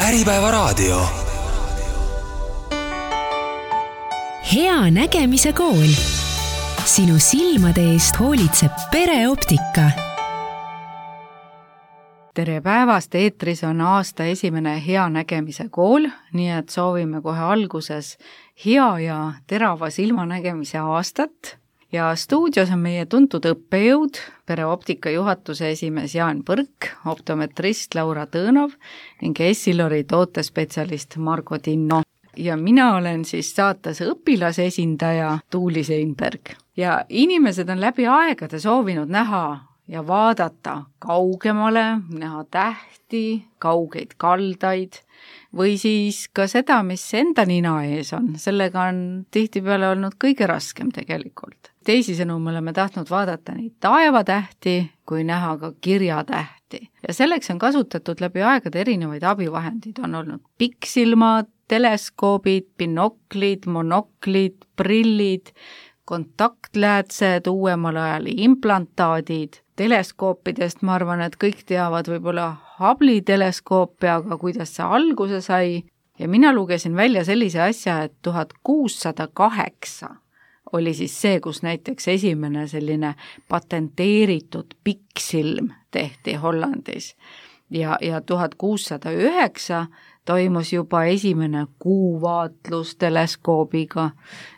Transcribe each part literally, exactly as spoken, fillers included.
Äripäevaraadio. Hea nägemise kool. Sinu silmade eest hoolitseb Pereoptika. Tere päevast, eetris on aasta esimene Hea nägemise kool, nii et soovime kohe alguses hea ja terava silmanägemise aastat. Ja stuudios on meie tuntud õppejõud, Pereoptika juhatuse esimees Jaan Põrk, optometrist Laura Tõõnov ning Essilori tootespetsialist Margo Tinno. Ja mina olen siis saates õpilase esindaja Tuuli Seinberg. Ja inimesed on läbi aegade soovinud näha ja vaadata kaugemale, näha tähti, kaugeid kaldaid või siis ka seda, mis enda nina ees on. Sellega on tihtipeale olnud kõige raskem tegelikult. Teisisõnu me oleme tahtnud vaadata nii taevatähti kui näha ka kirjatähti. Ja selleks on kasutatud läbi aegade erinevaid abivahendid. On olnud pikksilmad, teleskoobid, binoklid, monoklid, prillid, kontaktläätsed, uuemal ajal implantaadid. Teleskoopidest ma arvan, et kõik teavad võib-olla Hubble'i teleskoopi, aga kuidas see alguse sai. Ja mina lugesin välja sellise asja, et tuhat kuussada kaheksa oli siis see, kus näiteks esimene selline patenteeritud pikksilm tehti Hollandis. Ja, ja tuhat kuussada üheksa toimus juba esimene kuuvaatlus teleskoobiga,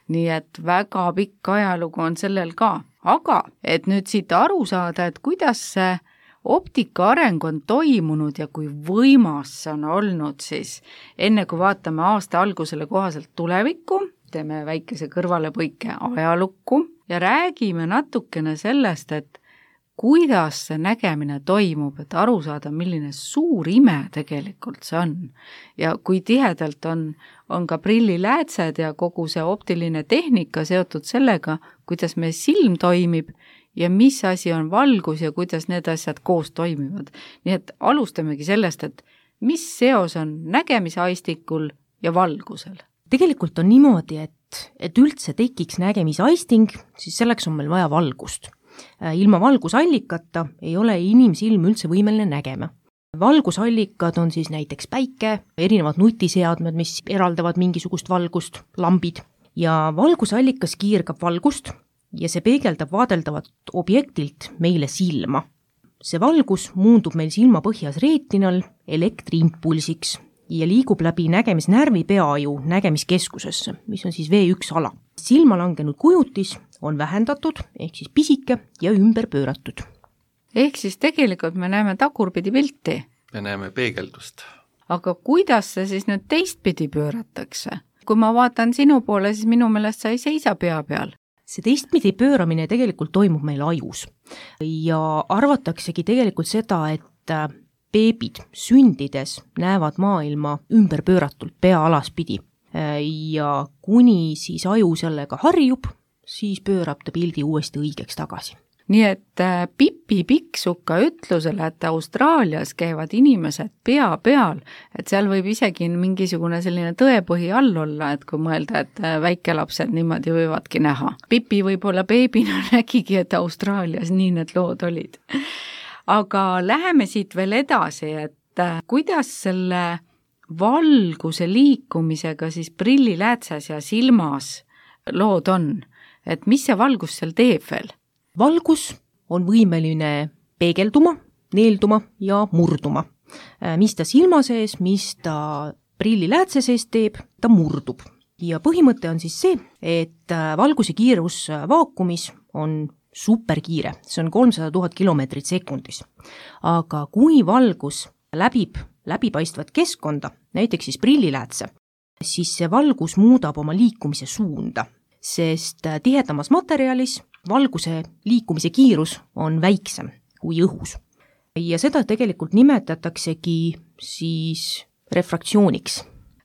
nii et väga pikk ajalugu on sellel ka. Aga et nüüd siit aru saada, et kuidas see optika areng on toimunud ja kui võimas see on olnud, siis enne kui vaatame aasta algusele kohaselt tulevikku, teeme väikese kõrvalepõike ajalukku ja räägime natukene sellest, et kuidas see nägemine toimub, et aru saada, milline suur ime tegelikult see on. Ja kui tihedalt on, on ka prilliläätsed ja kogu see optiline tehnika seotud sellega, kuidas meie silm toimib ja mis asi on valgus ja kuidas need asjad koos toimivad. Nii et alustamegi sellest, et mis seos on nägemisaistikul ja valgusel. Tegelikult on niimoodi, et, et üldse tekiks nägemisaisting, siis selleks on meil vaja valgust. Ilma valgusallikata ei ole inimsilm üldse võimeline nägema. Valgusallikad on siis näiteks päike, erinevad nutiseadmed, mis eraldavad mingisugust valgust, lambid. Ja valgusallikas kiirgab valgust ja see peegeldab vaadeldavat objektilt meile silma. See valgus muundub meil silma põhjas reetinal elektriimpulsiks ja liigub läbi nägemisnärvi peaju nägemiskeskusesse, mis on siis V üks ala. Silma langenud kujutis on vähendatud, ehk siis pisike ja ümber pööratud. Ehk siis tegelikult me näeme tagurpidi pilti. Me näeme peegeldust. Aga kuidas see siis nüüd teistpidi pööratakse? Kui ma vaatan sinu poole, siis minu meelest sa ei seisa pea peal. See teistpidi pööramine tegelikult toimub meil ajus. Ja arvataksegi tegelikult seda, et beebid sündides näevad maailma ümber pööratult pea alaspidi. Ja kuni siis aju sellega harjub, siis pöörab ta pildi uuesti õigeks tagasi. Nii et Pipi Pikksuka ütlusele, et Austraalias käivad inimesed pea peal, et seal võib isegi mingisugune selline tõepõhi all olla, et kui mõelda, et väikelapsed niimoodi võivadki näha. Pipi võib-olla beebina nägigi, et Austraalias nii need lood olid. Aga läheme siit veel edasi, et kuidas selle valguse liikumisega siis prilliläätses ja silmas lood on, et mis see valgus seal teeb veel? Valgus on võimeline peegelduma, neelduma ja murduma. Mis ta silma sees, mis ta prilliläätse sees teeb, ta murdub. Ja põhimõte on siis see, et valguse kiirus vaakumis on superkiire, see on kolmsada tuhat kilomeetrit sekundis. Aga kui valgus läbib läbipaistvat keskkonda, näiteks siis prilliläätse, siis see valgus muudab oma liikumise suunda, sest tihedamas materjalis valguse liikumise kiirus on väiksem kui õhus. Ja seda tegelikult nimetataksegi siis refraktsiooniks.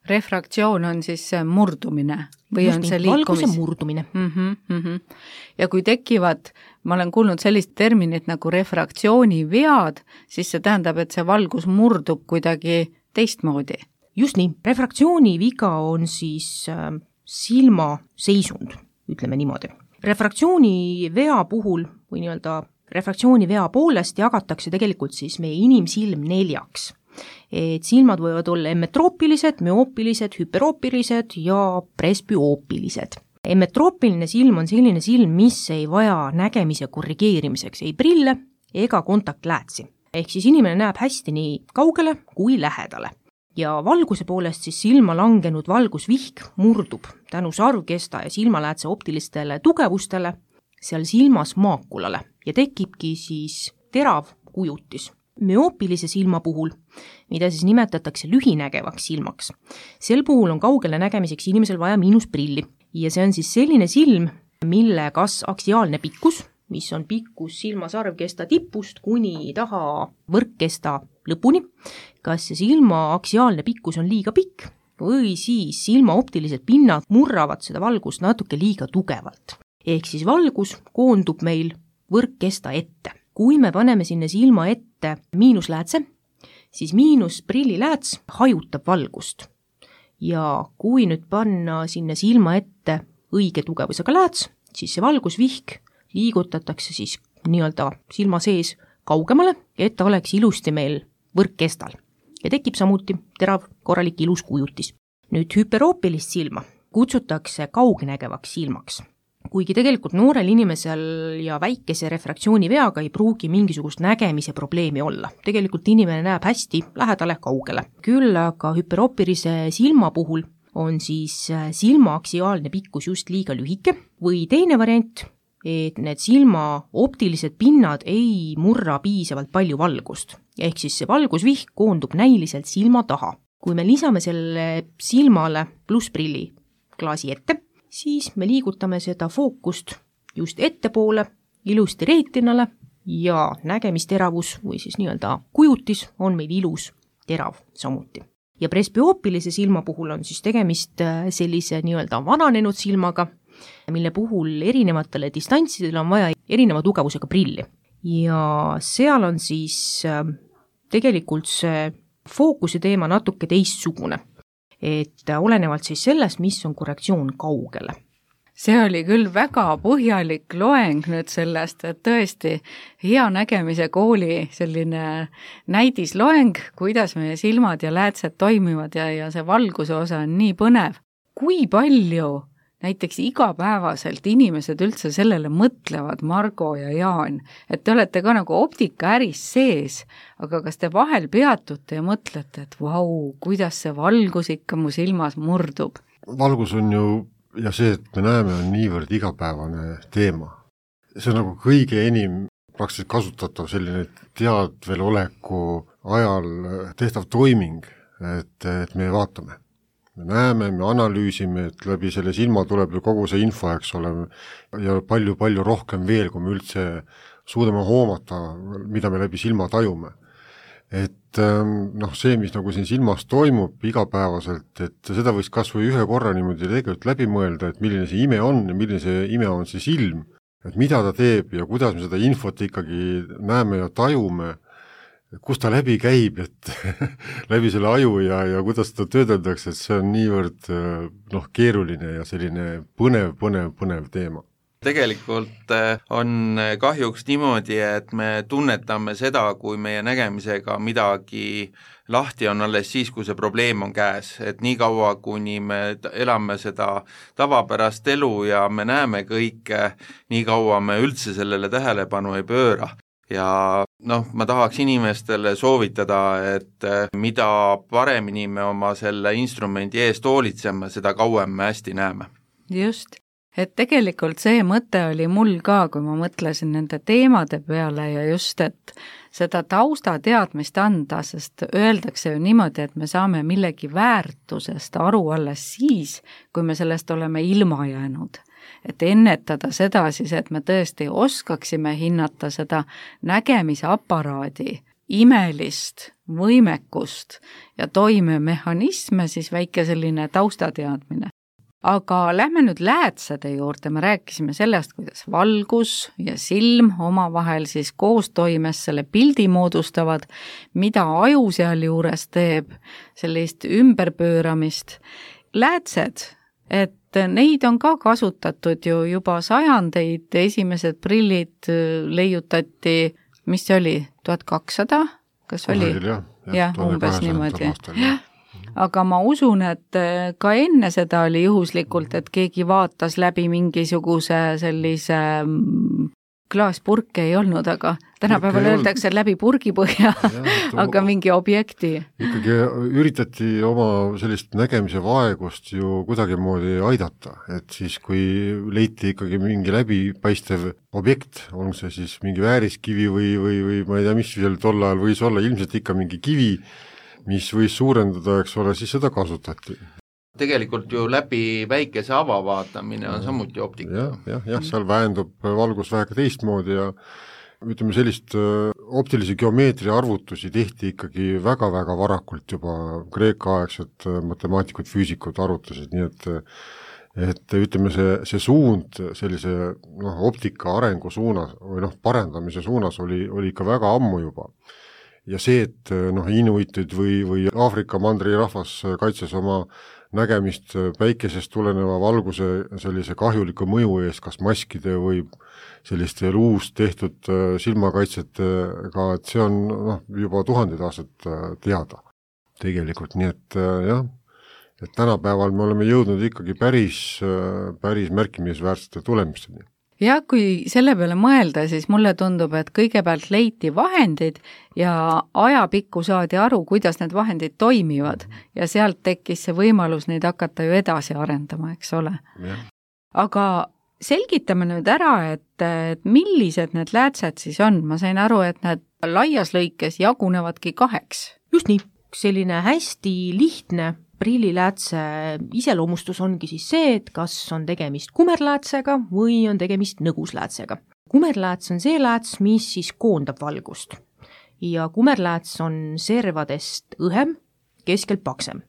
Refraktsioon on siis murdumine või Just on see nii, valguse liikumis? murdumine. Mm-hmm, mm-hmm. Ja kui tekivad, ma olen kuulnud sellist terminit nagu refraktsioonivead, siis see tähendab, et see valgus murdub kuidagi teistmoodi. Just nii, refraktsiooniviga on siis äh, silma seisund, ütleme niimoodi. Refraktsioonivea puhul või nii-öelda refraktsioonivea poolest jagatakse tegelikult siis meie inimsilm neljaks. et silmad võivad olla emmetroopilised, müoopilised, hüperoopilised ja presbüoopilised. Emmetroopiline silm on selline silm, mis ei vaja nägemise korrigeerimiseks ei prille ega kontaktläätsi. Ehk siis inimene näeb hästi nii kaugele kui lähedale. Ja valguse poolest siis silma langenud valgusvihk murdub tänu sarvkesta ja silmaläätse optilistele tugevustele seal silmas maakulale ja tekibki siis terav kujutis. Müoopilise silma puhul, mida siis nimetatakse lühinägevaks silmaks, sel puhul on kaugele nägemiseks inimesel vaja miinusprilli ja see on siis selline silm, mille kas aksiaalne pikkus, mis on pikkus silma sarvkesta tipust kuni taha võrkkesta lõpuni, kas see silma aksiaalne pikkus on liiga pikk või siis silma optilised pinnad murravad seda valgust natuke liiga tugevalt. Ehk siis valgus koondub meil võrkkesta ette. Kui me paneme sinna silma ette miinusläätse, siis miinusprillilääts hajutab valgust. Ja kui nüüd panna sinna silma ette õige tugevusega lääts, siis see valgusvihk liigutatakse siis nii-öelda silma sees kaugemale, et ta oleks ilusti meil võrkkestal. Ja tekib samuti terav korralik ilus kujutis. Nüüd hüperoopilist silma kutsutakse kaugnägevaks silmaks. Kuigi tegelikult noorel inimesel ja väikese refraktsiooni veaga ei pruugi mingisugust nägemise probleemi olla. Tegelikult inimene näeb hästi lähedale kaugele. Küll aga hüperoopilise silma puhul on siis silma aksiaalne pikkus just liiga lühike või teine variant, et need silma optilised pinnad ei murra piisavalt palju valgust. Ehk siis see valgusvihk koondub näiliselt silma taha. Kui me lisame selle silmale plussprilli klaasi ette, siis me liigutame seda fookust just ettepoole, ilusti reetinale ja nägemisteravus või siis nii-öelda kujutis on meil ilus terav samuti. Ja presbüoopilise silma puhul on siis tegemist sellise nii-öelda vananenud silmaga, mille puhul erinevatele distantsidele on vaja erineva tugevusega prilli. Ja seal on siis tegelikult see fookuse teema natuke teistsugune, et olenevalt siis sellest, mis on korrektsioon kaugele. See oli küll väga põhjalik loeng nüüd sellest, et tõesti hea nägemise kooli selline näidisloeng, kuidas meie silmad ja läätsed toimivad ja, ja see valguse osa on nii põnev. Kui palju näiteks igapäevaselt inimesed üldse sellele mõtlevad, Margo ja Jaan, et te olete ka nagu optikaäris sees, aga kas te vahel peatute ja mõtlete, et vau, kuidas see valgus ikka mu silmas murdub? Valgus on ju, ja see, et me näeme, on niivõrd igapäevane teema. See on nagu kõige enim praktiliselt kasutatav selline teadveloleku ajal tehtav toiming, et, et me vaatame. Me näeme, me analüüsime, et läbi selle silma tuleb ju kogu see info, eks ole, ja palju-palju rohkem veel, kui me üldse suudame hoomata, mida me läbi silma tajume. Et noh, see, mis nagu siin silmas toimub igapäevaselt, et seda võiks kas või ühe korra niimoodi tegelikult läbi mõelda, et milline see ime on ja milline see ime on see silm, et mida ta teeb ja kuidas me seda infot ikkagi näeme ja tajume, kus ta läbi käib, et läbi selle aju ja, ja kuidas ta töödeldakse, et see on niivõrd noh, keeruline ja selline põnev, põnev, põnev teema. Tegelikult on kahjuks niimoodi, et me tunnetame seda, kui meie nägemisega midagi lahti on alles siis, kui see probleem on käes. Et nii kaua, kuni me elame seda tavapärast elu ja me näeme kõike, nii kaua me üldse sellele tähelepanu ei pööra. Ja noh, ma tahaks inimestele soovitada, et mida paremini me oma selle instrumendi eest hoolitseme, seda kauem me hästi näeme. Just, et tegelikult see mõte oli mul ka, kui ma mõtlesin nende teemade peale ja just, et seda taustateadmist anda, sest öeldakse ju niimoodi, et me saame millegi väärtusest aru alles siis, kui me sellest oleme ilma jäänud. Et ennetada seda siis, et me tõesti oskaksime hinnata seda nägemise aparaadi imelist võimekust ja toimemehhanisme, siis väike selline taustateadmine. Aga lähme nüüd läätsede juurde, me rääkisime sellest, kuidas valgus ja silm omavahel siis koostoimes selle pildi moodustavad, mida aju seal juures teeb, sellist ümberpööramist. Läätsed, et neid on ka kasutatud ju juba sajandeid, esimesed prillid leiutati, mis see oli, tuhat kakssada kas oli? jah, jah, umbes niimoodi. Aga ma usun, et ka enne seda oli juhuslikult, et keegi vaatas läbi mingisuguse sellise klaaspurke ei olnud, aga tänapäeval öeldakse läbi purgipõhja, aga mingi objekti. Ikkagi üritati oma sellist nägemise vaegust ju kuidagi moodi aidata, et siis kui leiti ikkagi mingi läbipaistev objekt, on see siis mingi vääriskivi või, või, või ma ei tea, mis seal tol ajal võis olla, ilmselt ikka mingi kivi, mis võis suurendada, eks ole, siis seda kasutati. Tegelikult ju läbi väikese avavaatamine on samuti optika. jah, jah, jah, seal vähendub valgus vähega teistmoodi ja ütleme, sellist optilise geomeetria arvutusi tehti ikkagi väga-väga varakult juba kreeka-aegsed matemaatikud, füüsikud arvutasid, nii et et ütleme, see, see suund sellise noh, optika arengu suunas või noh, parendamise suunas oli, oli ikka väga ammu juba. Ja see, et noh, inuitid või, või Aafrika mandri rahvas kaitses oma nägemist päikesest tuleneva valguse sellise kahjuliku mõju eest, kas maskide või selliste luust tehtud silmakaitsetega, et see on noh, juba tuhandeid aastat teada tegelikult, nii et jah, et tänapäeval me oleme jõudnud ikkagi päris, päris märkimisväärsete tulemisteni. Ja kui selle peale mõelda, siis mulle tundub, et kõigepealt leiti vahendid ja ajapikku saadi aru, kuidas need vahendid toimivad ja sealt tekkis see võimalus neid hakata ju edasi arendama, eks ole. Ja. Aga selgitame nüüd ära, et, et millised need läätsed siis on. Ma sain aru, et need laias lõikes jagunevadki kaheks. Just nii, selline hästi lihtne prilliläätse iseloomustus ongi siis see, et kas on tegemist kumerläätsega või on tegemist nõgusläätsega. Kumerlääts on see lääts, mis siis koondab valgust ja kumerlääts on servadest õhem, keskelt paksem.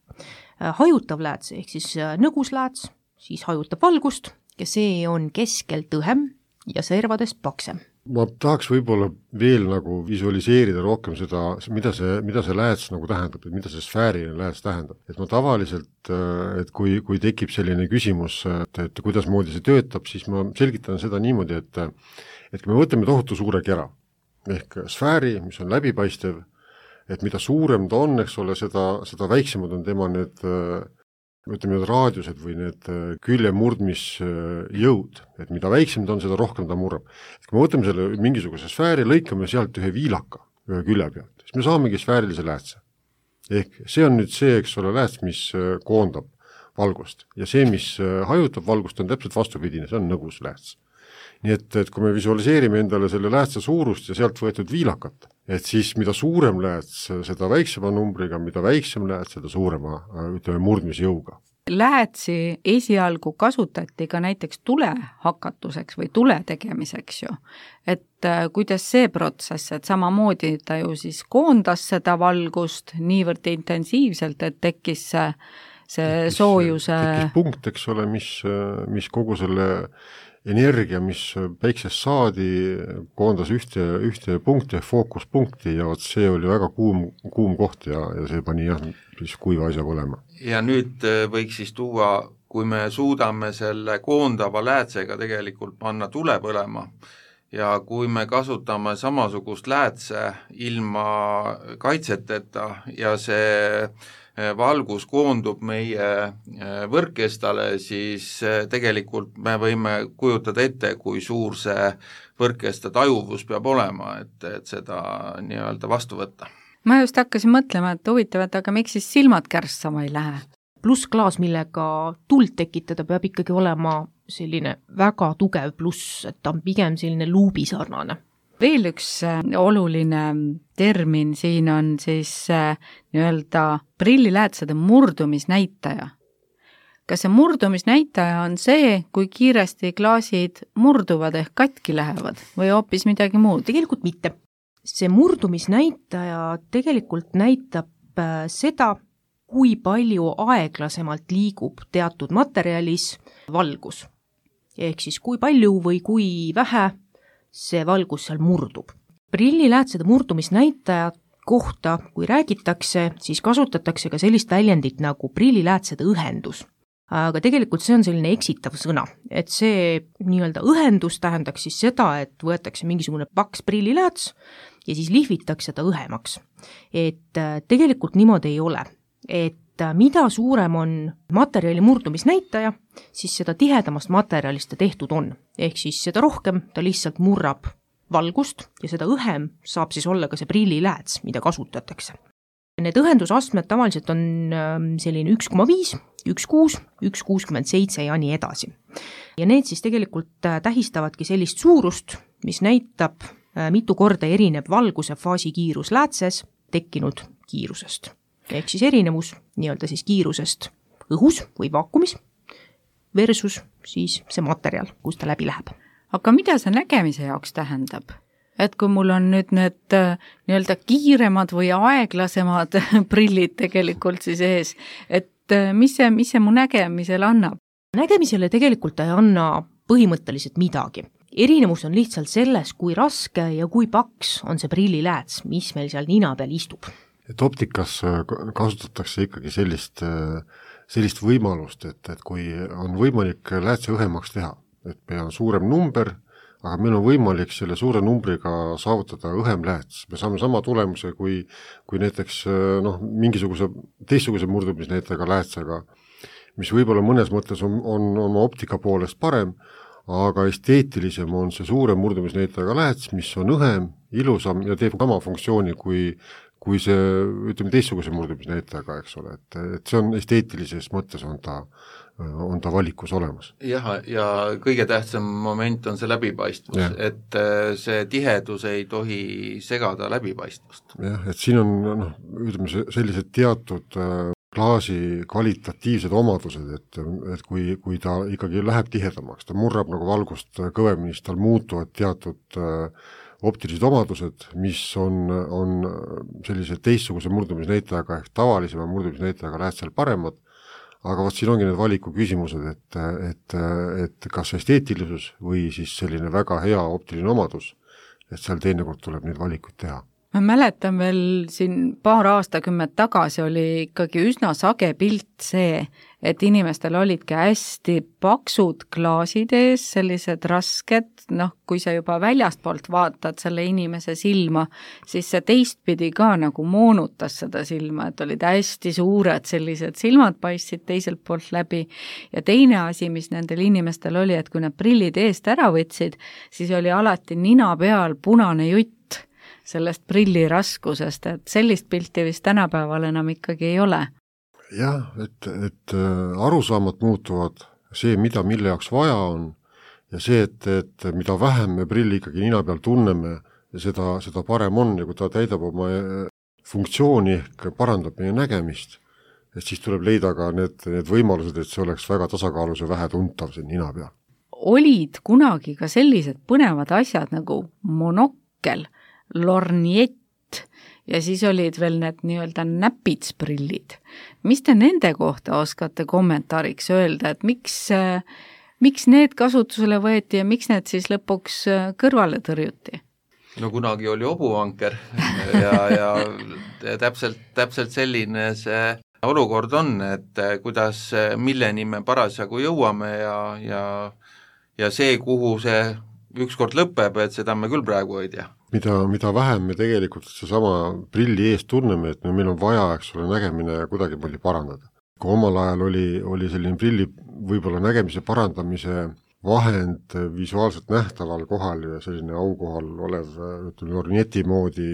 Hajutav lääts ehk siis nõguslääts, siis hajutab valgust ja see on keskelt õhem ja servadest paksem. Ma tahaks võib-olla veel nagu visualiseerida rohkem seda, mida see, mida see lääts nagu tähendab, et mida see sfääriline lääts tähendab. Et ma tavaliselt, et kui, kui tekib selline küsimus, et, et kuidas moodi see töötab, siis ma selgitan seda niimoodi, et, et kui me võtame tohutu suure kera, ehk sfääri, mis on läbipaistev, et mida suurem ta on, eks ole, seda, seda väiksemad on tema need ütleme, need raadiused või need külje murdmisjõud, et mida väiksem ta on, seda rohkem ta murrab. Et kui me võtame selle mingisuguse sfääri, lõikame sealt ühe viilaka ühe külje pealt, siis me saamegi sfäärilise läätse. Ehk see on nüüd see, eks ole, lääts, mis koondab valgust ja see, mis hajutab valgust, on täpselt vastupidine, see on nõgus lääts. Nii et, et kui me visualiseerime endale selle läätse suurust ja sealt võetud viilakat, et siis mida suurem lääts, seda väiksema numbriga, mida väiksem lääts, seda suurema ütleme, murdmisjõuga. Läätsi esialgu kasutati ka näiteks tule hakatuseks või tule tegemiseks ju. Et kuidas see protsess, et samamoodi ta ju siis koondas seda valgust niivõrd intensiivselt, et tekkis see, see tekkis, soojuse... Tekkis punkt, eks ole, mis, mis kogu selle energia, mis päiksest saadi, koondas ühte, ühte punkti, fookuspunkti ja vot see oli väga kuum, kuum koht ja, ja see pani jah, siis kuiva asja põlema. Ja nüüd võiks siis tuua, kui me suudame selle koondava läätsega tegelikult panna tule põlema ja kui me kasutame samasugust läätse ilma kaitseteta ja see valgus koondub meie võrkkestale, siis tegelikult me võime kujutada ette, kui suur see võrkkesta tajuvus peab olema, et, et seda nii-öelda vastu võtta. Ma just hakkasin mõtlema, et huvitavat, aga miks siis silmad kärssama ei lähe? Plussklaas, millega tuld tekitada, peab ikkagi olema selline väga tugev pluss, et ta on pigem selline luubisarnane. Veel üks oluline termin siin on siis nii-öelda prilliläätsede murdumisnäitaja. Kas see murdumisnäitaja on see, kui kiiresti klaasid murduvad ehk katki lähevad või hoopis midagi muud? Tegelikult mitte. See murdumisnäitaja tegelikult näitab seda, kui palju aeglasemalt liigub teatud materjalis valgus. Ehk siis kui palju või kui vähe see valgus seal murdub. Prilliläätsede murdumisnäitaja kohta, kui räägitakse, siis kasutatakse ka sellist väljendit nagu prilliläätsede õhendus. Aga tegelikult see on selline eksitav sõna, et see nii-öelda õhendus tähendaks siis seda, et võetakse mingisugune paks prillilääts ja siis lihvitakse ta õhemaks. Et tegelikult niimoodi ei ole, et mida suurem on materjali murdumisnäitaja, siis seda tihedamast materjalist ta tehtud on. Ehk siis seda rohkem ta lihtsalt murrab valgust ja seda õhem saab siis olla ka see prillilääts, mida kasutatakse. Need õhendusastmed tavaliselt on selline üks koma viis, üks koma kuus, üks koma kuuskümmend seitse ja nii edasi. Ja need siis tegelikult tähistavadki sellist suurust, mis näitab mitu korda erineb valguse faasikiirus läätses tekkinud kiirusest. Ehk siis erinevus nii-öelda siis kiirusest õhus või vaakumis versus siis see materjal, kus ta läbi läheb. Aga mida see nägemise jaoks tähendab? Et kui mul on nüüd need nii-öelda kiiremad või aeglasemad prillid tegelikult siis ees, et mis see, mis see mu nägemisele annab? Nägemisele tegelikult ei anna põhimõtteliselt midagi. Erinevus on lihtsalt selles, kui raske ja kui paks on see prillilääts, mis meil seal nina peal istub. Et optikas kasutatakse ikkagi sellist, sellist võimalust, et, et kui on võimalik läätse õhemaks teha, et meil on suurem number, aga meil on võimalik selle suure numbriga saavutada õhem lääts. Me saame sama tulemuse kui, kui näiteks noh, mingisuguse teistsuguse murdumisnäitajaga läätsega, mis võib-olla mõnes mõttes on, on oma optika poolest parem, aga esteetilisem on see suure murdumisnäitajaga lääts, mis on õhem, ilusam ja teeb sama funktsiooni kui kui see, ütleme, teistsuguse murdumisnäitajaga, eks ole, et, et see on esteetilises mõttes on ta, on ta valikus olemas. Jah, ja kõige tähtsam moment on see läbipaistvus, ja. Et see tihedus ei tohi segada läbipaistvust. Jah, et siin on, noh, ütleme, sellised teatud klaasi kvalitatiivsed omadused, et, et kui, kui ta ikkagi läheb tihedamaks, ta murrab nagu valgust kõvemini, siis tal muutuvad teatud optilised omadused, mis on, on sellise teistsuguse murdumisnäitajaga ehk tavalisema murdumisnäitajaga läätsel paremad, aga vot siin ongi need valiku küsimused, et, et, et kas esteetilisus või siis selline väga hea optiline omadus, et seal teinekord tuleb neid valikuid teha. Ma mäletan veel siin paar aastakümmet tagasi oli ikkagi üsna sage pilt see, et inimestel olidki hästi paksud klaasid ees, sellised rasked, noh, kui sa juba väljastpoolt vaatad selle inimese silma, siis see teistpidi ka nagu moonutas seda silma, et olid hästi suured sellised silmad paistsid teiselt poolt läbi. Ja teine asi, mis nendel inimestel oli, et kui nad prillid eest ära võtsid, siis oli alati nina peal punane jutt sellest prilli raskusest, et sellist pilti vist tänapäeval enam ikkagi ei ole. Jah, et, et arusaamat muutuvad see, mida mille jaoks vaja on ja see, et, et mida vähem me prilli ikkagi nina peal tunneme ja seda, seda parem on ja kui ta täidab oma funktsiooni ehk parandab meie nägemist, et siis tuleb leida ka need, need võimalused, et see oleks väga tasakaalus ja vähe tuntav see nina peal. Olid kunagi ka sellised põnevad asjad nagu monokkel, lorniett ja siis olid veel need nii-öelda näpitsprillid. Mis te nende kohta oskate kommentaariks öelda, et miks, miks need kasutusele võeti ja miks need siis lõpuks kõrvale tõrjuti? No kunagi oli obuvanker ja, ja täpselt, täpselt selline see olukord on, et kuidas, milleni me parasjagu jõuame ja, ja, ja see, kuhu see ükskord lõpeb, et seda me küll praegu ei tea. Mida, mida vähem me tegelikult seesama prilli eest tunneme, et meil on vaja, eks ole, nägemine kuidagi palju parandada. Kui omal ajal oli, oli selline prilli võib-olla nägemise parandamise vahend visuaalselt nähtaval kohal ja selline aukohal olev ütleme, lornieti moodi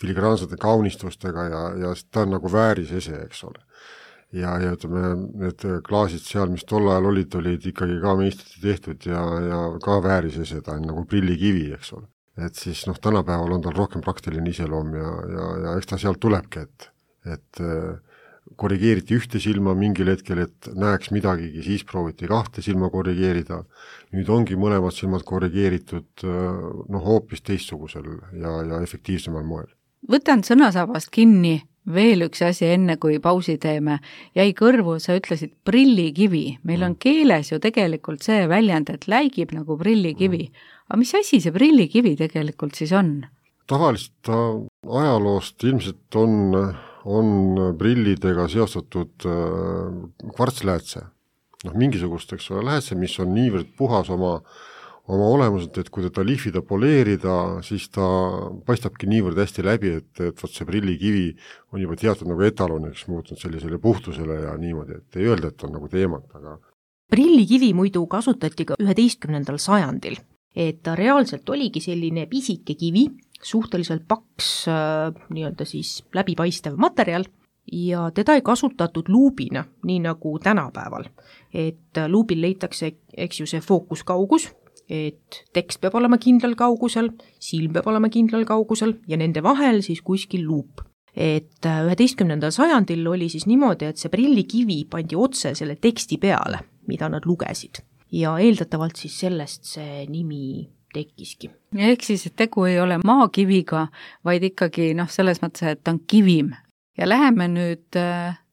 filigraansete kaunistustega ja, ja ta on nagu väärisese, eks ole. Ja, ja ütleme, need klaasid seal, mis tol ajal olid, olid ikkagi ka meistriti tehtud ja, ja ka väärisese, ta on nagu prillikivi, eks ole. Et siis noh, tänapäeval on tal rohkem praktiline iseloom ja, ja, ja eks ta sealt tulebki, et, et korrigeeriti ühte silma mingil hetkel, et näeks midagigi, siis prooviti kahte silma korrigeerida. Nüüd ongi mõlemad silmad korrigeeritud noh, hoopis teistsugusel ja, ja efektiivsemal moel. Võtan sõnasabast kinni veel üks asi enne, kui pausi teeme. Jäi kõrvu, sa ütlesid prillikivi. Meil on keeles ju tegelikult see väljend, et läigib nagu prillikivi. Aga mis asi see prillikivi tegelikult siis on? Tavaliselt ajaloost ilmselt on, on prillidega seostatud kvartsläätse. noh, mingisugust, eks ole, läätse, mis on niivõrd puhas oma, oma olemuselt, et kui teda lihvida, poleerida, siis ta paistabki niivõrd hästi läbi, et, et võt see prillikivi on juba teatud nagu etaloniks muutunud sellisele puhtusele ja niimoodi, et ei öelda, et on nagu teemat, aga prillikivi muidu kasutati ka üheteistkümnendal sajandil, et ta reaalselt oligi selline pisike kivi, suhteliselt paks äh, nii-öelda siis läbipaistev materjal ja teda ei kasutatud luubina, nii nagu tänapäeval. Et luubil leitakse, eks ju, see fookuskaugus, et tekst peab olema kindlal kaugusel, silm peab olema kindlal kaugusel ja nende vahel siis kuskil luup. Et üheteistkümnendal sajandil oli siis niimoodi, et see prillikivi pandi otse selle teksti peale, mida nad lugesid. Ja eeldatavalt siis sellest see nimi tekkiski. Ehk siis, et tegu ei ole maakiviga, vaid ikkagi noh, selles mõttes, et ta on kivim. Ja läheme nüüd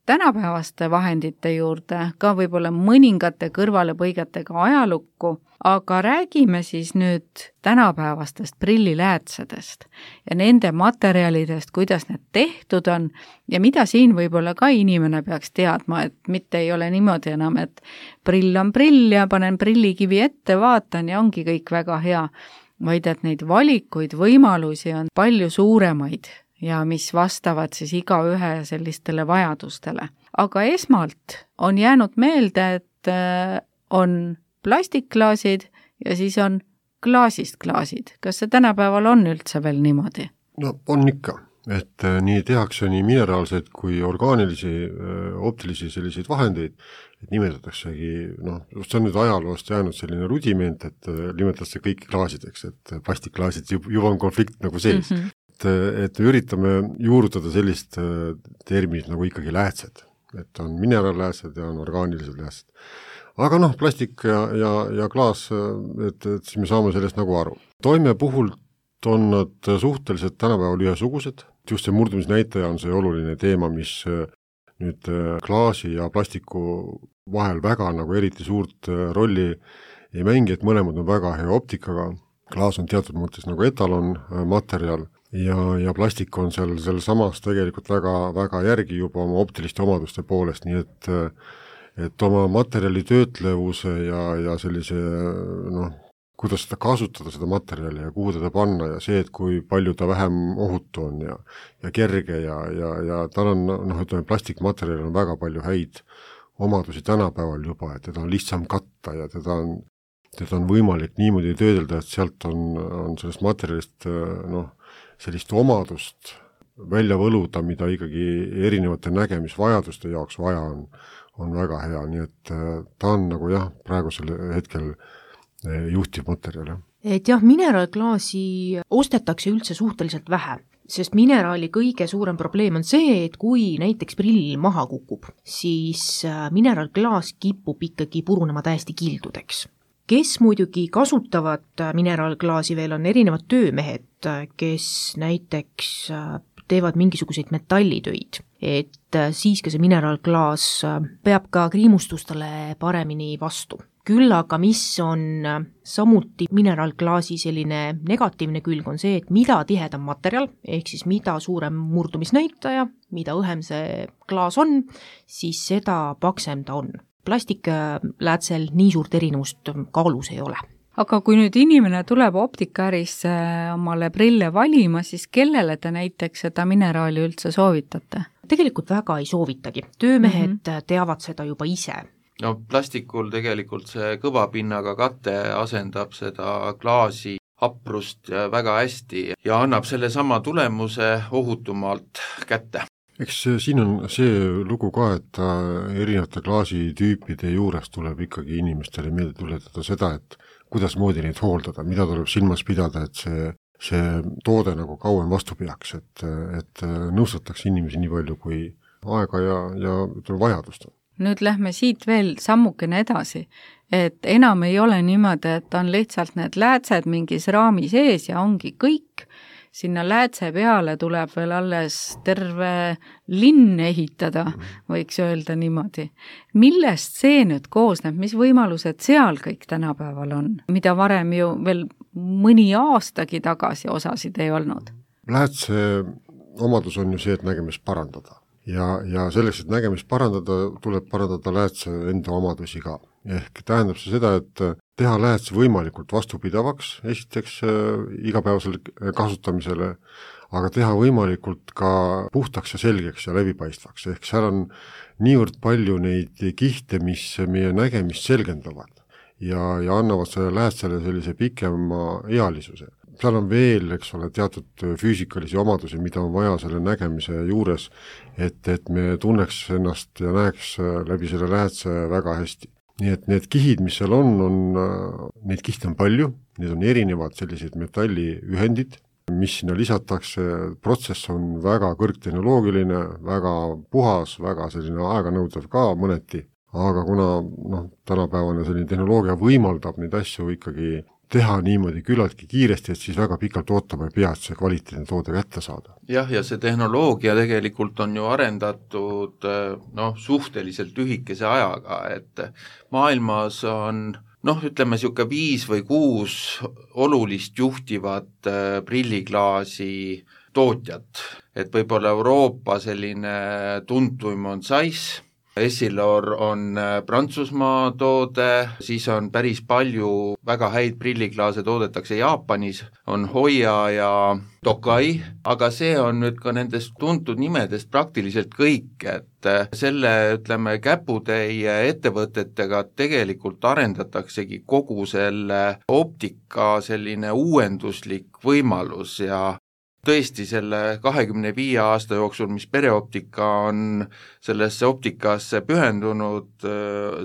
tänapäevaste vahendite juurde, ka võib-olla mõningate kõrvalepõigetega ajalukku, aga räägime siis nüüd tänapäevastest prilliläätsedest ja nende materjalidest, kuidas need tehtud on ja mida siin võib-olla ka inimene peaks teadma, et mitte ei ole niimoodi enam, et prill on prill ja panen prillikivi ette, vaatan ja ongi kõik väga hea, vaid et neid valikuid, võimalusi on palju suuremaid ja mis vastavad siis igaühe sellistele vajadustele. Aga esmalt on jäänud meelde, et on plastikklaasid ja siis on klaasist klaasid. Kas see tänapäeval on üldse veel niimoodi? No on ikka, et nii tehakse nii mineraalseid kui orgaanilisi, optilisi selliseid vahendeid, et nimetataksegi, noh, see on nüüd ajaloost jäänud selline rudiment, et nimetatakse kõik klaasideks, et plastikklaasid juba on konflikt nagu sees. Mm-hmm. Et, et me üritame juurutada sellist terminit nagu ikkagi läätsed, et on mineraalläätsed ja on orgaanilised läätsed. Aga noh, plastik ja, ja, ja klaas, et, et siis me saame sellest nagu aru. Toime puhult on nad suhteliselt tänapäeval ühesugused, just see murdumisnäitaja on see oluline teema, mis nüüd klaasi ja plastiku vahel väga nagu eriti suurt rolli ei mängi, et mõlemad on väga hea optikaga. Klaas on teatud mõttes nagu etalon materjal ja, ja plastik on seal, seal samas tegelikult väga, väga järgi juba oma optiliste omaduste poolest, nii et, et oma materjali töötlevuse ja, ja sellise, noh, kuidas seda kasutada, seda materjali ja kuhu teda panna ja see, et kui palju ta vähem ohutu on ja, ja kerge ja, ja, ja tal on, noh, ütleme, plastikmaterjal on väga palju häid omadusi tänapäeval juba, et teda on lihtsam katta ja teda on, teda on võimalik niimoodi töödelda, et sealt on, on sellest materjalist, noh, sellist omadust välja võluda, mida ikkagi erinevate nägemisvajaduste jaoks vaja on, on väga hea, nii et ta on nagu jah, praegusel hetkel juhtiv materjal. Et jah, mineraalklaasi ostetakse üldse suhteliselt vähe, sest mineraali kõige suurem probleem on see, et kui näiteks prill maha kukub, siis mineraalklaas kipub ikkagi purunema täiesti kildudeks. Kes muidugi kasutavad mineraalklaasi veel on erinevad töömehed, kes näiteks teevad mingisuguseid metallitöid, et siis ka see mineraalklaas peab ka kriimustustele paremini vastu. Küll aga mis on samuti mineraalklaasi selline negatiivne külg on see, et mida tihedam materjal, ehk siis mida suurem murdumisnäitaja, mida õhem see klaas on, siis seda paksem ta on. Plastikläätsel nii suurt erinevust kaalus ei ole. Aga kui nüüd inimene tuleb optikaärisse omale prille valima, siis kellele te näiteks seda mineraali üldse soovitate? Tegelikult väga ei soovitagi. Töömehed mm-hmm. teavad seda juba ise. No plastikul tegelikult see kõvapinnaga kate asendab seda klaasi haprust väga hästi ja annab selle sama tulemuse ohutumalt kätte. Eks siin on see lugu ka, et erinevate klaasitüüpide juures tuleb ikkagi inimestele meelde tuletada seda, et kuidas moodi neid hooldada, mida tuleb silmas pidada, et see, see toode nagu kauem vastu peaks, et, et nõustatakse inimesi nii palju kui aega ja, ja vajadust on. Nüüd lähme siit veel sammukene edasi, et enam ei ole niimoodi, et on lihtsalt need läätsed mingis raami sees ja ongi kõik. Sinna läätse peale tuleb veel alles terve linn ehitada, võiks öelda niimoodi. Millest see nüüd koosneb, mis võimalused seal kõik tänapäeval on, mida varem ju veel mõni aastagi tagasi osasid ei olnud? Läätse omadus on ju see, et nägemist parandada. Ja, ja selleks, et nägemist parandada, tuleb parandada läätse enda omadusi ka. Ehk tähendab see seda, et teha lääts võimalikult vastupidavaks, esiteks äh, igapäevasele kasutamisele, aga teha võimalikult ka puhtaks ja selgeks ja läbipaistvaks, ehk seal on niivõrd palju neid kihte, mis meie nägemist selgendavad ja, ja annavad selle läätsele sellise pikema ealisuse. Seal on veel, eks ole, teatud füüsikalisi omadusi, mida on vaja selle nägemise juures, et, et me tunneks ennast ja näeks läbi selle läätse väga hästi. Nii et need kihid, mis seal on, on, neid kihte on palju, need on erinevad sellised metalliühendid, mis sinna lisatakse, protsess on väga kõrgtehnoloogiline, väga puhas, väga selline aeganõudev ka mõneti, aga kuna noh, tänapäevane selline tehnoloogia võimaldab neid asju ikkagi teha niimoodi küllaltki kiiresti, et siis väga pikalt ootama ei pea, et see kvaliteetne toode kätte saada. Jah, ja see tehnoloogia tegelikult on ju arendatud noh, suhteliselt lühikese ajaga, et maailmas on noh, ütleme siuke viis või kuus olulist juhtivat prilliklaasi tootjat, et võib-olla Euroopa selline tuntuim on Zeiss, Essilor on Prantsusmaa toode, siis on päris palju väga häid prilliklaase toodetakse Jaapanis, on Hoia ja Tokai, aga see on nüüd ka nendest tuntud nimedest praktiliselt kõik, et selle, ütleme, käputäie ettevõtetega tegelikult arendataksegi kogu selle optika selline uuenduslik võimalus ja tõesti selle kahekümne viie aasta jooksul, mis Pereoptika on sellesse optikasse pühendunud,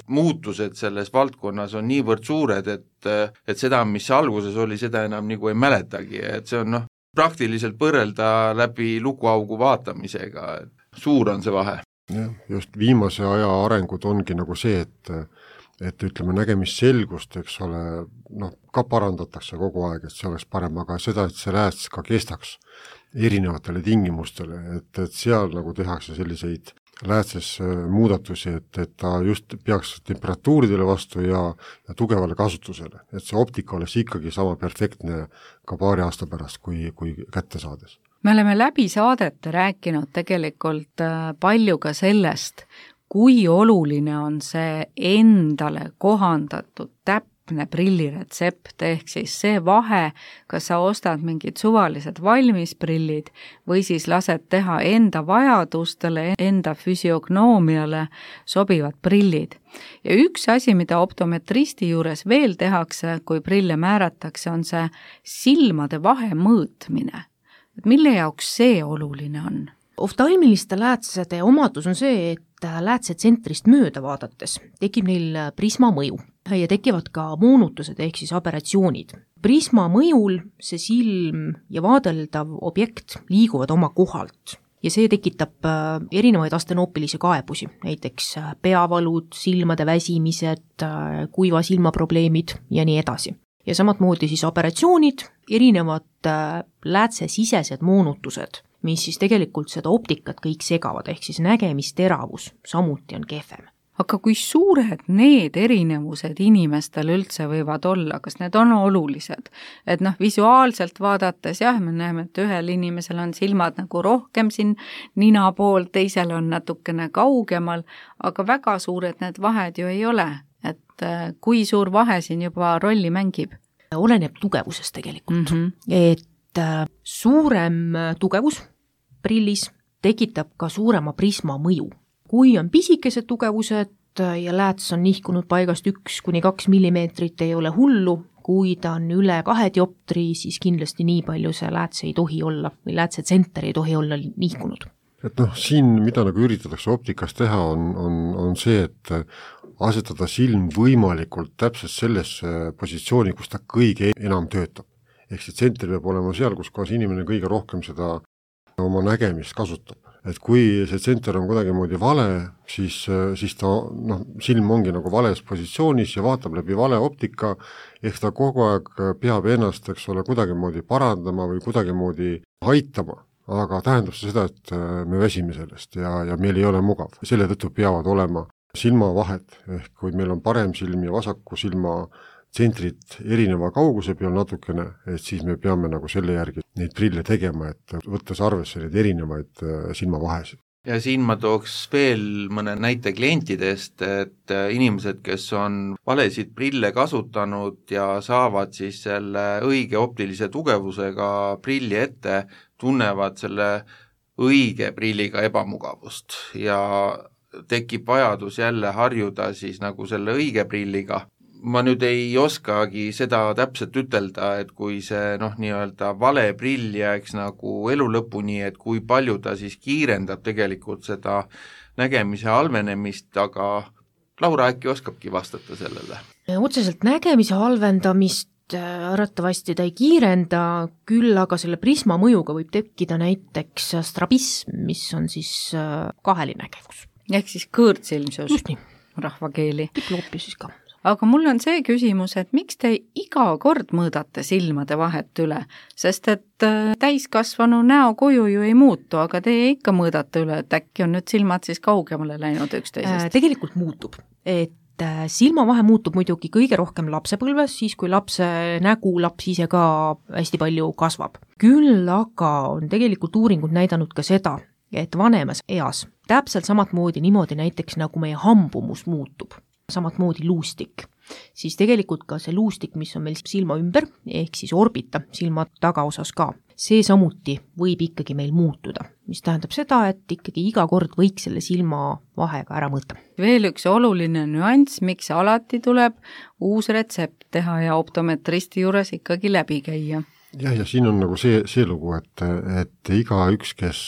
muutused selles valdkonnas on niivõrd suured, et, et seda, mis alguses oli, seda enam nagu ei mäletagi, et see on noh, praktiliselt võrrelda läbi lukuaugu vaatamisega, et suur on see vahe. Jah, just viimase aja arengud ongi nagu see, et et ütleme, nägemisselgust, eks ole, noh, ka parandatakse kogu aeg, et see oleks parem, aga seda, et see lääts ka kestaks erinevatele tingimustele, et, et seal nagu tehakse selliseid läätses muudatusi, et, et ta just peaks temperatuuridele vastu ja, ja tugevale kasutusele, et see optika oleks ikkagi sama perfektne ka paari aasta pärast, kui, kui kätte saades. Me oleme läbi saadete rääkinud tegelikult palju ka sellest, kui oluline on see endale kohandatud täpne prilliretsept, ehk siis see vahe, kas sa ostad mingid suvalised valmisprillid või siis lased teha enda vajadustele, enda füsiognoomiale sobivad prillid. Ja üks asi, mida optometristi juures veel tehakse, kui prille määratakse, on see silmade vahe mõõtmine. Et mille jaoks see oluline on? Oftalmiliste läätsede omadus on see, et läätsetsentrist mööda vaadates tekib neil prisma mõju ja tekivad ka moonutused ehk siis aberratsioonid. Prisma mõjul see silm ja vaadeldav objekt liiguvad oma kohalt ja see tekitab erinevaid astenoopilisi kaebusi, näiteks peavalud, silmade väsimised, kuiva silmaprobleemid ja nii edasi. Ja samatmoodi siis aberratsioonid, erinevad läätsesisesed moonutused, mis siis tegelikult seda optikat kõik segavad, ehk siis nägemisteravus samuti on kehvem. Aga kui suured need erinevused inimestel üldse võivad olla, kas need on olulised? Et noh, visuaalselt vaadates jah, me näeme, et ühel inimesel on silmad nagu rohkem siin nina pool, teisel on natukene kaugemal, aga väga suured need vahed ju ei ole. Et kui suur vahe siin juba rolli mängib? Oleneb tugevusest tegelikult. Mm-hmm. Et suurem tugevus prillis tekitab ka suurema prisma mõju. Kui on pisikesed tugevused ja lääts on nihkunud paigast üks kuni kaks millimeetrit, ei ole hullu, kui ta on üle kahe dioptri, siis kindlasti nii palju see lääts ei tohi olla või läätsetsenter ei tohi olla nihkunud. Et noh, siin mida nagu üritatakse optikas teha on, on, on see, et asetada silm võimalikult täpselt sellesse positsiooni, kus ta kõige enam töötab. Ehk see tsenter peab olema seal, kus kohas inimene kõige rohkem seda oma nägemist kasutab. Et kui see tsenter on kuidagimoodi vale, siis, siis ta, noh, silm ongi nagu vales positsioonis ja vaatab läbi vale optika, ehk ta kogu aeg peab ennast, eks ole, kuidagimoodi parandama või kuidagimoodi aitama, aga tähendab see seda, et me väsime sellest ja, ja meil ei ole mugav. Selle tõttu peavad olema silmavahed, ehk kui meil on parem silm ja vasaku silma tsentrit erineva kauguse peal natukene, et siis me peame nagu selle järgi neid prille tegema, et võttes arvesse neid erinevaid silmavahesid. ja siin ma tooks veel mõne näite klientidest, et inimesed, kes on valesid prille kasutanud ja saavad siis selle õige optilise tugevusega prilli ette, tunnevad selle õige prilliga ebamugavust ja tekib vajadus jälle harjuda siis nagu selle õige prilliga. Ma nüüd ei oskagi seda täpselt ütelda, et kui see noh, nii-öelda vale prill jääks nagu elu lõpuni, et kui palju ta siis kiirendab tegelikult seda nägemise halvenemist, aga Laura äkki oskabki vastata sellele? Otseselt nägemise halvendamist arvatavasti ta ei kiirenda, küll aga selle prisma mõjuga võib tekkida näiteks strabism, mis on siis kaheline nägevus. Ehk siis kõõrdsilmsus. Just nii. Rahvakeeli. Diploopi siis ka. Aga mul on see küsimus, et miks te iga kord mõõdate silmade vahet üle, sest et täiskasvanu näokuju ju ei muutu, aga teie ikka mõõdate üle, et äkki on nüüd silmad siis kaugemale läinud üksteisest? Tegelikult muutub, et silmavahe muutub muidugi kõige rohkem lapsepõlves, siis kui lapse nägu laps ise ka hästi palju kasvab. Küll aga on tegelikult uuringud näidanud ka seda, et vanemas eas täpselt samat moodi niimoodi näiteks nagu meie hambumus muutub, samat moodi luustik, siis tegelikult ka see luustik, mis on meil silma ümber, ehk siis orbita silma tagaosas ka, see samuti võib ikkagi meil muutuda, mis tähendab seda, et ikkagi iga kord võiks selle silma vahega ära mõõta. Veel üks oluline nüanss, miks alati tuleb uus retsept teha ja optometristi juures ikkagi läbi käia. Jah, ja siin on nagu see, see lugu, et, et iga üks, kes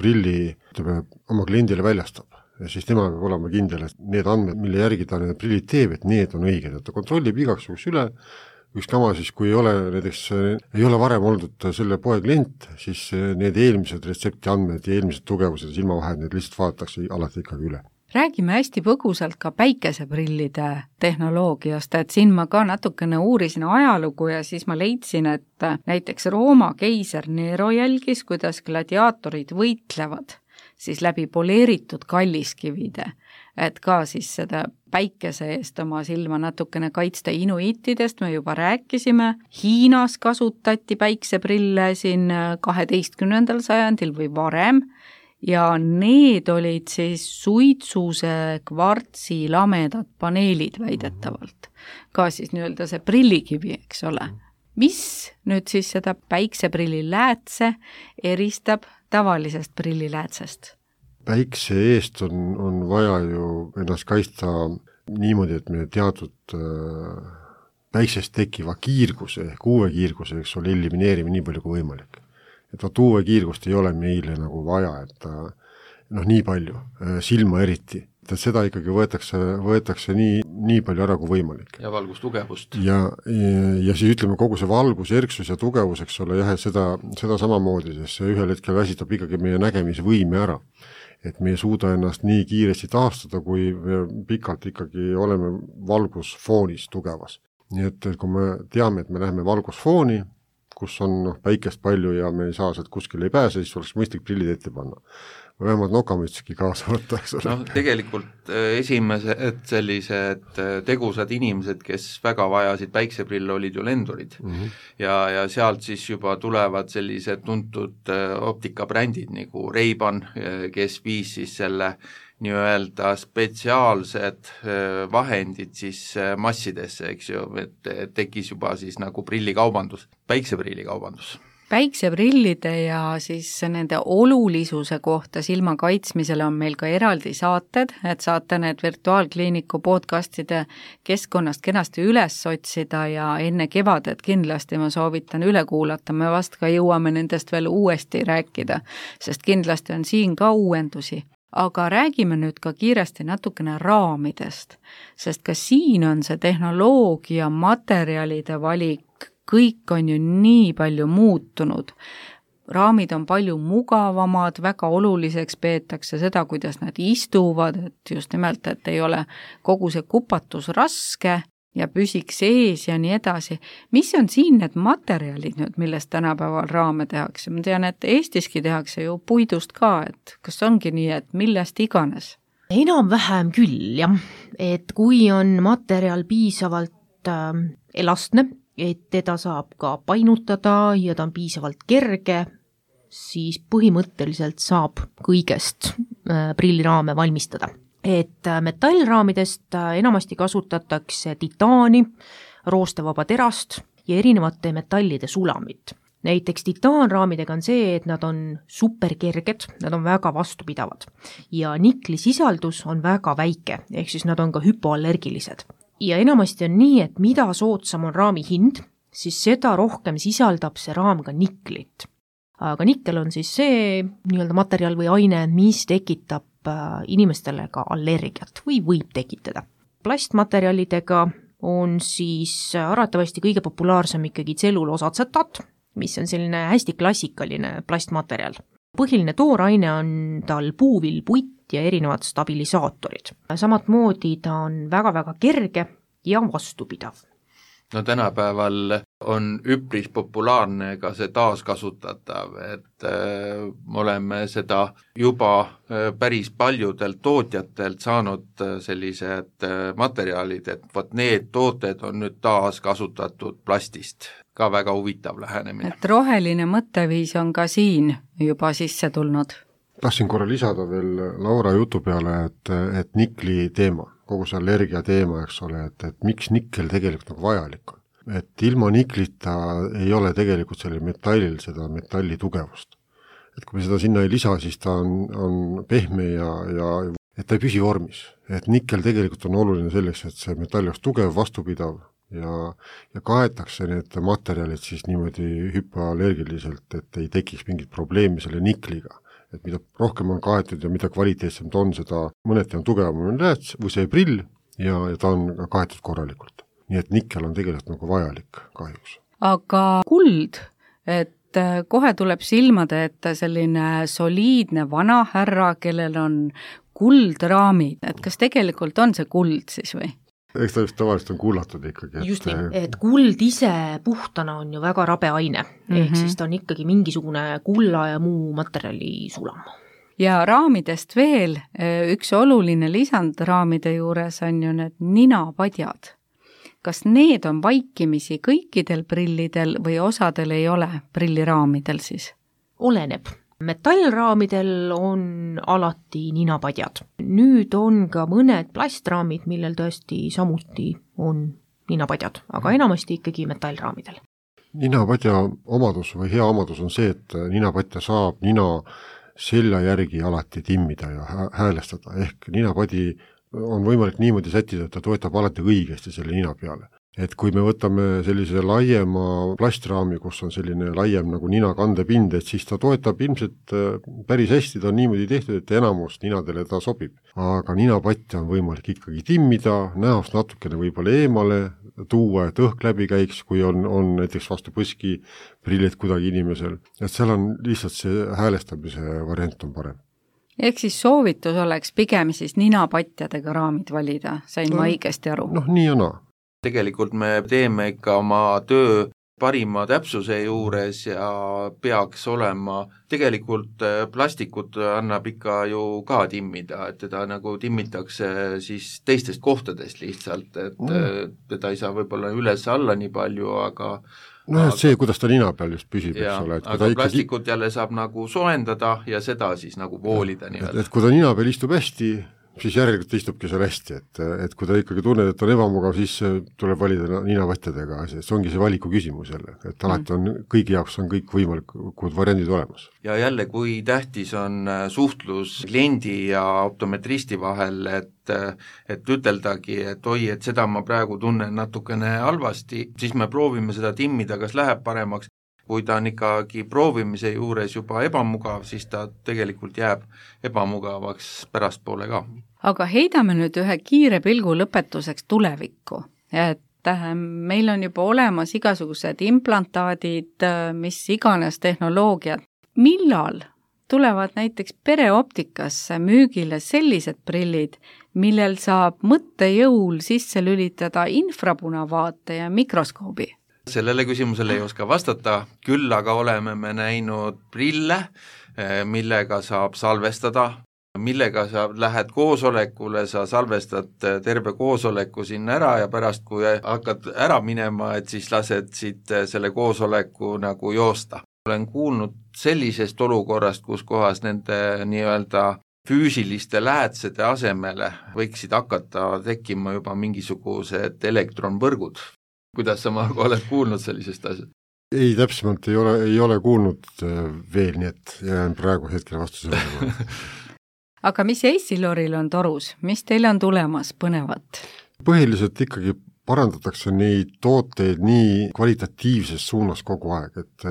prilli ütleme, oma kliendile väljastab, ja siis tema peab olema kindel, et need andmed, mille järgi ta need prillid teeb, et need on õiged, et ta kontrollib igaks juhuks üle, üks kama siis, kui ei ole, näiteks, ei ole varem olnud selle poe klient, siis need eelmised retsepti andmed ja eelmised tugevused ja silmavahed, need lihtsalt vaadatakse alati ikkagi üle. Räägime hästi põgusalt ka päikeseprillide tehnoloogiast, et siin ma ka natukene uurisin ajalugu ja siis ma leidsin, et näiteks Rooma keiser Nero jälgis, kuidas gladiaatorid võitlevad siis läbi poleeritud kalliskivide, et ka siis seda päikese eest oma silma natukene kaitsta. Inuitidest me juba rääkisime, Hiinas kasutati päikseprille siin kaheteistkümnendal sajandil või varem ja need olid siis suitsuse kvartsi lamedad paneelid väidetavalt, ka siis nii-öelda see prillikivi, eks ole. Mis nüüd siis seda päikseprilli läätse eristab tavalisest prilliläätsest? Päikse eest on, on vaja ju ennast kaitsta niimoodi, et me teatud äh, päiksest tekiva kiirguse, ehk uue kiirguse, eks ole, elimineerime nii palju kui võimalik. Et vaat uue kiirgust ei ole meile nagu vaja, et noh, nii palju, silma eriti. Et seda ikkagi võetakse, võetakse nii, nii palju ära kui võimalik. Ja valgustugevust. Ja, ja, ja siis ütleme kogu see valgus, erksus ja tugevus, eks ole, jah, et seda, seda samamoodi, sest see ühel hetkel väsitab ikkagi meie nägemisvõime ära. Et me ei suuda ennast nii kiiresti taastada, kui me pikalt ikkagi oleme valgusfoonis tugevas. Nii et kui me teame, et me läheme valgusfooni, kus on noh, päikest palju ja me ei saa sealt kuskil ei pääse, siis oleks mõistlik prillid ette panna. Või vähemalt nokamütski kaasa võtta, eks ole. No, tegelikult esimesed sellised tegusad inimesed, kes väga vajasid päikseprille, olid ju lendurid. Mm-hmm. Ja, ja sealt siis juba tulevad sellised tuntud optikabrändid nagu Ray-Ban, kes viis siis selle nii-öelda spetsiaalsed vahendid siis massidesse, eks ju, et tekkis juba siis nagu prillikaubandus, päiksepillikaubandus. Päikseprillide ja siis nende olulisuse kohta silma kaitsmisele on meil ka eraldi saated, et saate need virtuaalkliiniku podcastide keskkonnast kenasti üles otsida ja enne kevadet kindlasti ma soovitan üle kuulata, me vast ka jõuame nendest veel uuesti rääkida, sest kindlasti on siin ka uuendusi. Aga räägime nüüd ka kiiresti natukene raamidest, sest ka siin on see tehnoloogia, materjalide valik, kõik on ju nii palju muutunud. Raamid on palju mugavamad, väga oluliseks peetakse seda, kuidas nad istuvad, et just nimelt, et ei ole kogu see kupatus raske ja püsiks ees ja nii edasi. Mis on siin need materjalid nüüd, millest tänapäeval raame tehakse? Ma tean, et Eestiski tehakse ju puidust ka, et kas ongi nii, et millest iganes? Enam-vähem küll, jah. Et kui on materjal piisavalt äh, elastne, et teda saab ka painutada ja ta on piisavalt kerge, siis põhimõtteliselt saab kõigest prilliraame valmistada. Et metallraamidest enamasti kasutatakse titaani, roostevaba terast ja erinevate metallide sulamit. Näiteks titaanraamidega on see, et nad on superkerged, nad on väga vastupidavad ja niklisisaldus on väga väike, ehk siis nad on ka hüpoallergilised. Ja enamasti on nii, et mida soodsam on raami hind, siis seda rohkem sisaldab see raam ka niklit. Aga nikkel on siis see nii-öelda materjal või aine, mis tekitab inimestele ka allergiat või võib tekitada. Plastmaterjalidega on siis arvatavasti kõige populaarsem ikkagi tselluloosaatsetaat, mis on selline hästi klassikaline plastmaterjal. Põhiline tooraine on tal puuvill, puit ja erinevad stabilisaatorid. Samat moodi ta on väga-väga kerge ja vastupidav. No tänapäeval on üpris populaarne ka see taaskasutatav, et äh, oleme seda juba äh, päris paljudelt tootjatelt saanud äh, sellised äh, materjalid, et võt need tooted on nüüd taaskasutatud plastist. Ka väga huvitav lähenemine. Et roheline mõtteviis on ka siin juba sisse tulnud. Tahtsin korra lisada veel Laura jutu peale, et, et nikli teema, kogu see allergia teema, eks ole, et, et miks nikkel tegelikult nagu vajalik on. Et ilma niklita ei ole tegelikult sellel metallil seda metalli tugevust. Et kui me seda sinna ei lisa, siis ta on, on pehme ja, ja et ta ei püsi vormis. Et nikkel tegelikult on oluline selleks, et see metall oleks tugev, vastupidav ja, ja kaetakse need materjalid siis niimoodi hüpoallergiliselt, et ei tekiks mingit probleemi selle nikliga. Et mida rohkem on kaetud ja mida kvaliteetsem ta on, seda mõneti on tugevam lääts või see prill ja, ja ta on kaetud korralikult. Nii et nikkel on tegelikult nagu vajalik kahjuks. Aga kuld, et kohe tuleb silmade, et selline soliidne vana härra, kellel on kuldraamid, et kas tegelikult on see kuld siis või? Eks ta just tavaliselt on kuulatud ikkagi. Et... Just nii, et kuld ise puhtana on ju väga rabe aine, mm-hmm. ehk siis ta on ikkagi mingisugune kulla ja muu materjali sulam. Ja raamidest veel, üks oluline lisand raamide juures on ju need ninapadjad. Kas need on vaikimisi kõikidel prillidel või osadel ei ole prilliraamidel siis? Oleneb. Metallraamidel on alati ninapadjad. Nüüd on ka mõned plastraamid, millel tõesti samuti on ninapadjad, aga enamasti ikkagi metallraamidel. Ninapadja omadus või hea omadus on see, et ninapadja saab nina selja järgi alati timmida ja häälestada, ehk ninapadi on võimalik niimoodi sättida, et ta toetab alati õigesti selle nina peale. Et kui me võtame sellise laiema plastraami, kus on selline laiem nagu nina kandepind, et siis ta toetab ilmselt päris hästi, ta on niimoodi tehtud, et enamus ninadele ta sobib. Aga ninapatja on võimalik ikkagi timmida, näost natukene võib-olla eemale tuua, et õhk läbi käiks, kui on, on näiteks vastu põski prillid kuidagi inimesel. Et seal on lihtsalt see häälestamise variant on parem. Ehk siis soovitus oleks pigem siis ninapatjadega raamid valida, sain no, ma õigesti aru? Noh, nii ja naa. Tegelikult me teeme ikka oma töö parima täpsuse juures ja peaks olema, tegelikult plastikut annab ikka ju ka timmida, et teda nagu timmitakse siis teistest kohtadest lihtsalt, et mm. teda ei saa võib-olla üles alla nii palju, aga no aga, see, kuidas ta nina peal just püsib, ja, eks ole. aga plastikut ikkagi... jälle saab nagu soendada ja seda siis nagu voolida. Et, et kui ta nina peal istub hästi, siis järelikult istubki seal hästi, et, et kui ta ikkagi tunned, et on ebamugav, siis tuleb valida ninapatjadega, see ongi see valiku küsimus jälle, et alati on, kõigi jaoks on kõik võimalikud variandid olemas. Ja jälle, kui tähtis on suhtlus kliendi ja optometristi vahel, et, et üteldagi, et oi, et seda ma praegu tunnen natukene halvasti, siis me proovime seda timmida, kas läheb paremaks. Kui ta on ikkagi proovimise juures juba ebamugav, siis ta tegelikult jääb ebamugavaks pärastpoole ka. Aga heidame nüüd ühe kiire pilgu lõpetuseks tulevikku, et meil on juba olemas igasugused implantaadid, mis iganes tehnoloogiad. Millal tulevad näiteks pereoptikasse müügile sellised prillid, millel saab mõttejõul sisse lülitada infrapunavaate ja mikroskoobi? Sellele küsimusele ei oska vastata, küll aga oleme me näinud prille, millega saab salvestada, millega sa lähed koosolekule, sa salvestad terve koosoleku sinna ära ja pärast, kui hakkad ära minema, et siis lased siit selle koosoleku nagu joosta. olen kuulnud sellisest olukorrast, kus kohas nende nii-öelda füüsiliste läätsede asemele võiksid hakata tekkima juba mingisugused elektronvõrgud. Kuidas sa, Margo, oled kuulnud sellisest asjast? Ei, täpsemalt ei ole, ei ole kuulnud veel, nii et jään praegu hetkel vastuse. Aga mis Essiloril on torus? Mis teil on tulemas põnevat? Põhiliselt ikkagi parandatakse neid tooteid nii kvalitatiivses suunas kogu aeg, et,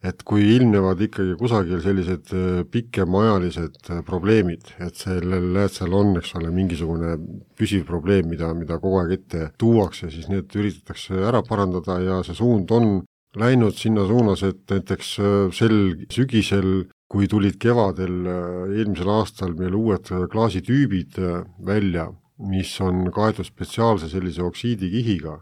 et kui ilmnevad ikkagi kusagil sellised pikemaajalised probleemid, et sellel läätsel on, eks ole, mingisugune püsiv probleem, mida, mida kogu aeg ette tuuakse, siis need üritatakse ära parandada ja see suund on läinud sinna suunas, et näiteks sel sügisel, kui tulid kevadel eelmisel aastal meil uued klaasitüübid välja, mis on kaetud spetsiaalse sellise oksiidikihiga,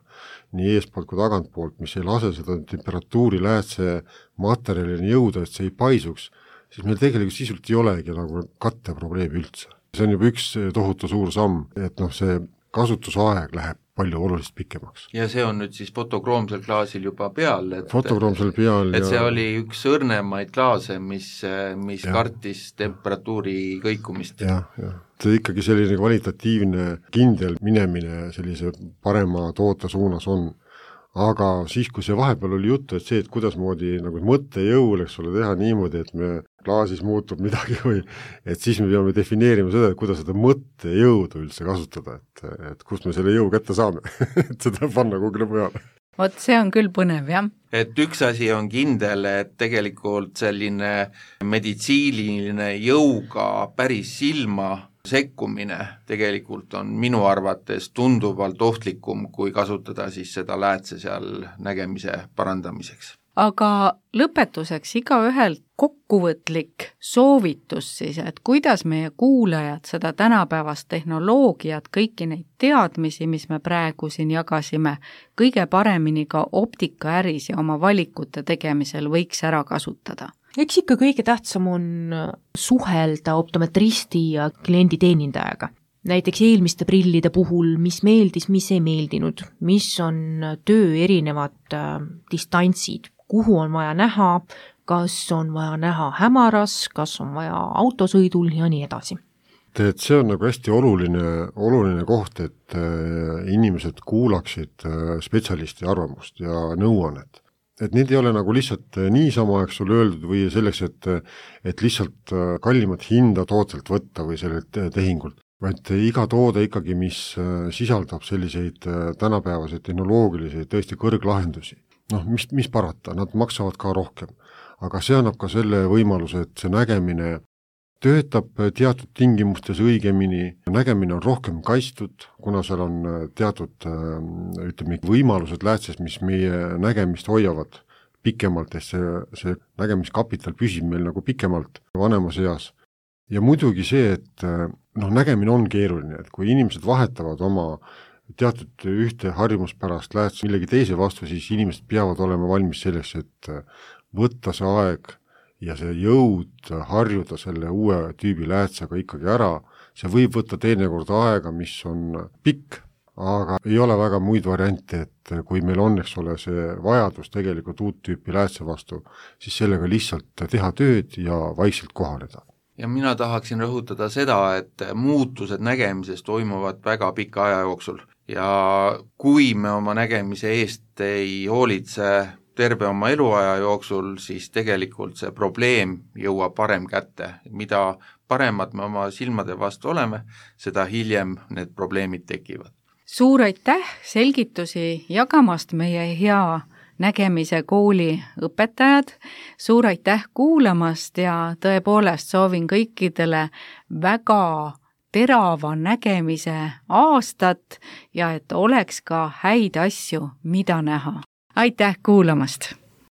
nii eespoolt kui tagantpoolt, mis ei lase seda temperatuuri läätse materjalini jõuda, et see ei paisuks, siis meil tegelikult sisult ei olegi nagu katteprobleemi üldse. See on juba üks tohutu suur samm, et noh, see kasutusaeg läheb palju oluliselt pikemaks. Ja see on nüüd siis fotokroomsel klaasil juba peal, et, fotokroomsel peal et ja... see oli üks õrnemaid klaase, mis, mis ja. kartis temperatuuri kõikumist. Jah, jah. See ikkagi selline kvalitatiivne kindel minemine sellise parema toote suunas on. Aga siis, kui see vahepeal oli juttu, et see, et kuidas moodi nagu mõttejõul, eks ole, teha niimoodi, et me klaasis muutub midagi või et siis me peame defineerima seda, et kuidas seda mõttejõudu üldse kasutada, et, et kust me selle jõu kätte saame, et seda panna kugile peale. Vot see on küll põnev, jah. Et üks asi on kindel, et tegelikult selline meditsiiniline jõuga päris silma sekkumine tegelikult on minu arvates tunduvalt ohtlikum, kui kasutada siis seda läätse seal nägemise parandamiseks. Aga lõpetuseks igaühelt kokkuvõtlik soovitus siis, et kuidas meie kuulajad seda tänapäevast tehnoloogiat, kõiki neid teadmisi, mis me praegu siin jagasime, kõige paremini ka optikaäris ja oma valikute tegemisel võiks ära kasutada. Eks ikka kõige tähtsam on suhelda optometristi ja klienditeenindajaga. Näiteks eelmiste prillide puhul, mis meeldis, mis ei meeldinud, mis on töö erinevad äh, distantsid, kuhu on vaja näha, kas on vaja näha hämaras, kas on vaja autosõidul ja nii edasi. Et see on nagu hästi oluline, oluline koht, et äh, inimesed kuulaksid äh, spetsialisti arvamust ja nõuannet. Et need ei ole nagu lihtsalt niisama, eks sulle öeldud või selleks, et, et lihtsalt kallimat hinda tootelt võtta või sellelt tehingult, vaid iga toode ikkagi, mis sisaldab selliseid tänapäevaseid tehnoloogilisi tõesti kõrglahendusi. Noh, mis, mis parata, nad maksavad ka rohkem, aga see annab ka selle võimaluse, et see nägemine töötab teatud tingimustes õigemini, nägemine on rohkem kaitstud, kuna seal on teatud ütleme, võimalused läätses, mis meie nägemist hoiavad pikemalt, et see, see nägemiskapital püsib meil nagu pikemalt vanemas eas. Ja muidugi see, et noh, nägemine on keeruline, et kui inimesed vahetavad oma teatud ühte harjumuspärast läätse millegi teise vastu, siis inimesed peavad olema valmis selleks, et võtta see aeg ja see jõud harjuda selle uue tüübi läätsega ikkagi ära, see võib võtta teinekord aega, mis on pikk, aga ei ole väga muid variante, et kui meil on, eks ole, see vajadus tegelikult uut tüüpi läätse vastu, siis sellega lihtsalt teha tööd ja vaikselt kohaneda. Ja mina tahaksin rõhutada seda, et muutused nägemises toimuvad väga pika aja jooksul ja kui me oma nägemise eest ei hoolitse terve oma eluaja jooksul, siis tegelikult see probleem jõuab parem kätte. Mida paremad me oma silmade vastu oleme, seda hiljem need probleemid tekivad. Suur aitäh selgitusi jagamast meie hea nägemise kooli õpetajad. Suur aitäh kuulamast ja tõepoolest soovin kõikidele väga terava nägemise aastat ja et oleks ka häid asju, mida näha. Aitäh kuulamast!